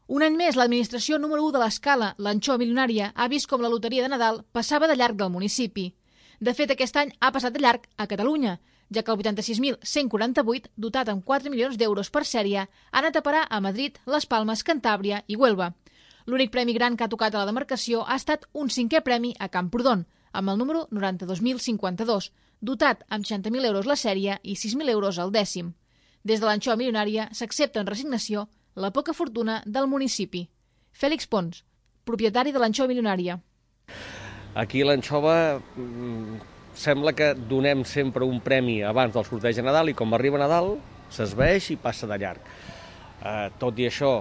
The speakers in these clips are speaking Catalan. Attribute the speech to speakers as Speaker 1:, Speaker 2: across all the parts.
Speaker 1: Un any més, l'administració número 1 de l'Escala, l'Anxova Milionària, ha vist com la loteria de Nadal passava de llarg del municipi. De fet, aquest any ha passat de llarg a Catalunya, ja que el 86.148, dotat amb 4 milions d'euros per sèrie, ha anat a parar a Madrid, Les Palmes, Cantàbria i Huelva. L'únic premi gran que ha tocat a la demarcació ha estat un 5è premi a Camprodon, amb el número 92.052, dotat amb 60.000 euros la sèrie i 6.000 euros el dècim. Des de l'Anxova Milionària s'accepta en resignació la poca fortuna del municipi. Fèlix Pons, propietari de l'Anxova Milionària.
Speaker 2: Aquí a l'Anxova sembla que donem sempre un premi abans del sorteig de Nadal i com arriba Nadal s'esvaeix i passa de llarg. Tot i això,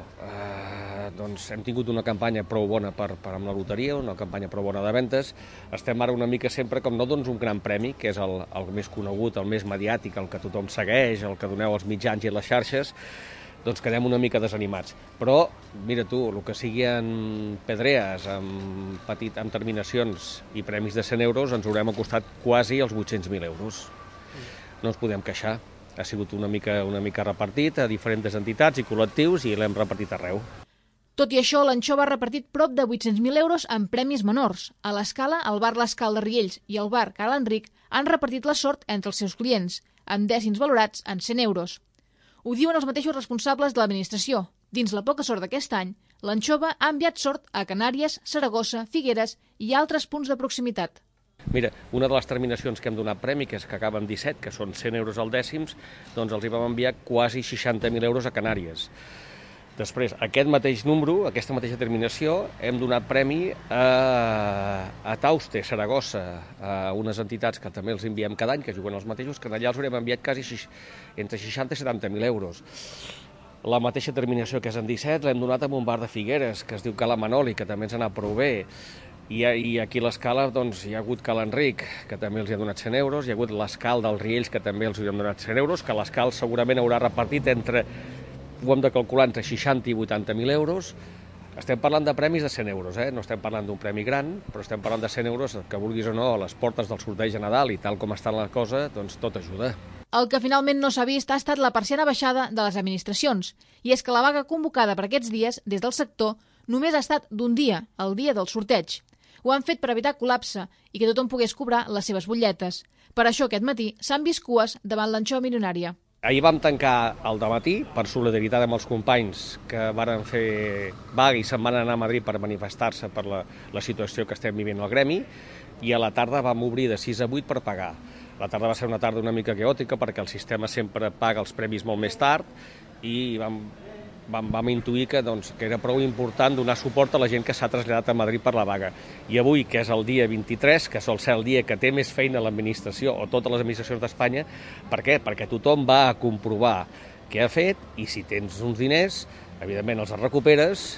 Speaker 2: doncs hem tingut una campanya prou bona amb la loteria, una campanya prou bona de ventes. Estem ara una mica sempre com no dones un gran premi, que és el més conegut, el més mediàtic, el que tothom segueix, el que doneu als mitjans i a les xarxes, doncs quedem una mica desanimats. Però, mira tu, el que sigui en pedrees, amb terminacions i premis de 100 euros, ens haurem acostat quasi als 800.000 euros. No ens podem queixar. Ha sigut una mica repartit a diferents entitats i col·lectius i l'hem repartit arreu.
Speaker 1: Tot i això, l'Anxova ha repartit prop de 800.000 euros en premis menors. A l'Escala, el bar L'Escal de Riells i el bar Cal Enric han repartit la sort entre els seus clients, amb dècims valorats en 100 euros. Ho diuen els mateixos responsables de l'administració. Dins la poca sort d'aquest any, l'Anxova ha enviat sort a Canàries, Saragossa, Figueres i altres punts de proximitat.
Speaker 2: Mira, una de les terminacions que hem donat premi, que és que acaba amb 17, que són 100 euros al dècims, doncs els hi vam enviar quasi 60.000 euros a Canàries. Després, aquest mateix número, aquesta mateixa terminació, hem donat premi a Tauste, Saragossa, a unes entitats que també els enviem cada any, que juguen els mateixos, que allà els haurem enviat quasi entre 60 i 70.000 euros. La mateixa terminació que és en 17 l'hem donat a un bar de Figueres, que es diu Cala Manoli, que també ens ha anat prou bé. I aquí a l'Escala doncs, hi ha hagut Cal Enric, que també els ha donat 100 euros, hi ha hagut l'Escal dels Riells, que també els han donat 100 euros, que l'Escal segurament haurà repartit ho hem de calcular entre 60 i 80.000 euros. Estem parlant de premis de 100 euros, no estem parlant d'un premi gran, però estem parlant de 100 euros, que vulguis o no, a les portes del sorteig de Nadal i tal com està la cosa, doncs tot ajuda.
Speaker 1: El que finalment no s'ha vist ha estat la persiana baixada de les administracions, i és que la vaga convocada per aquests dies des del sector només ha estat d'un dia, el dia del sorteig. Ho han fet per evitar col·lapse i que tothom pogués cobrar les seves butlletes. Per això aquest matí s'han vist cues davant l'Anxova Milionària.
Speaker 2: Ahir vam tancar al dematí per solidaritat amb els companys que varen fer vaga i se'n van anar a Madrid per manifestar-se per la situació que estem vivint al gremi, i a la tarda vam obrir de 6 a 8 per pagar. La tarda va ser una tarda una mica caòtica perquè el sistema sempre paga els premis molt més tard i vam intuir que era prou important donar suport a la gent que s'ha traslladat a Madrid per la vaga. I avui, que és el dia 23, que sol ser el dia que té més feina l'administració o totes les administracions d'Espanya, per què? Perquè tothom va a comprovar què ha fet i si tens uns diners, evidentment els recuperes,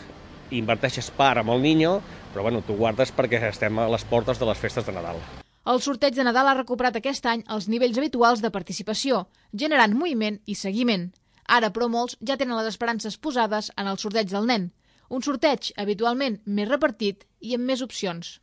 Speaker 2: inverteixes part amb el niño, però tu guardes perquè estem a les portes de les festes de Nadal.
Speaker 1: El sorteig de Nadal ha recuperat aquest any els nivells habituals de participació, generant moviment i seguiment. Ara, però, molts ja tenen les esperances posades en el sorteig del nen, un sorteig habitualment més repartit i amb més opcions.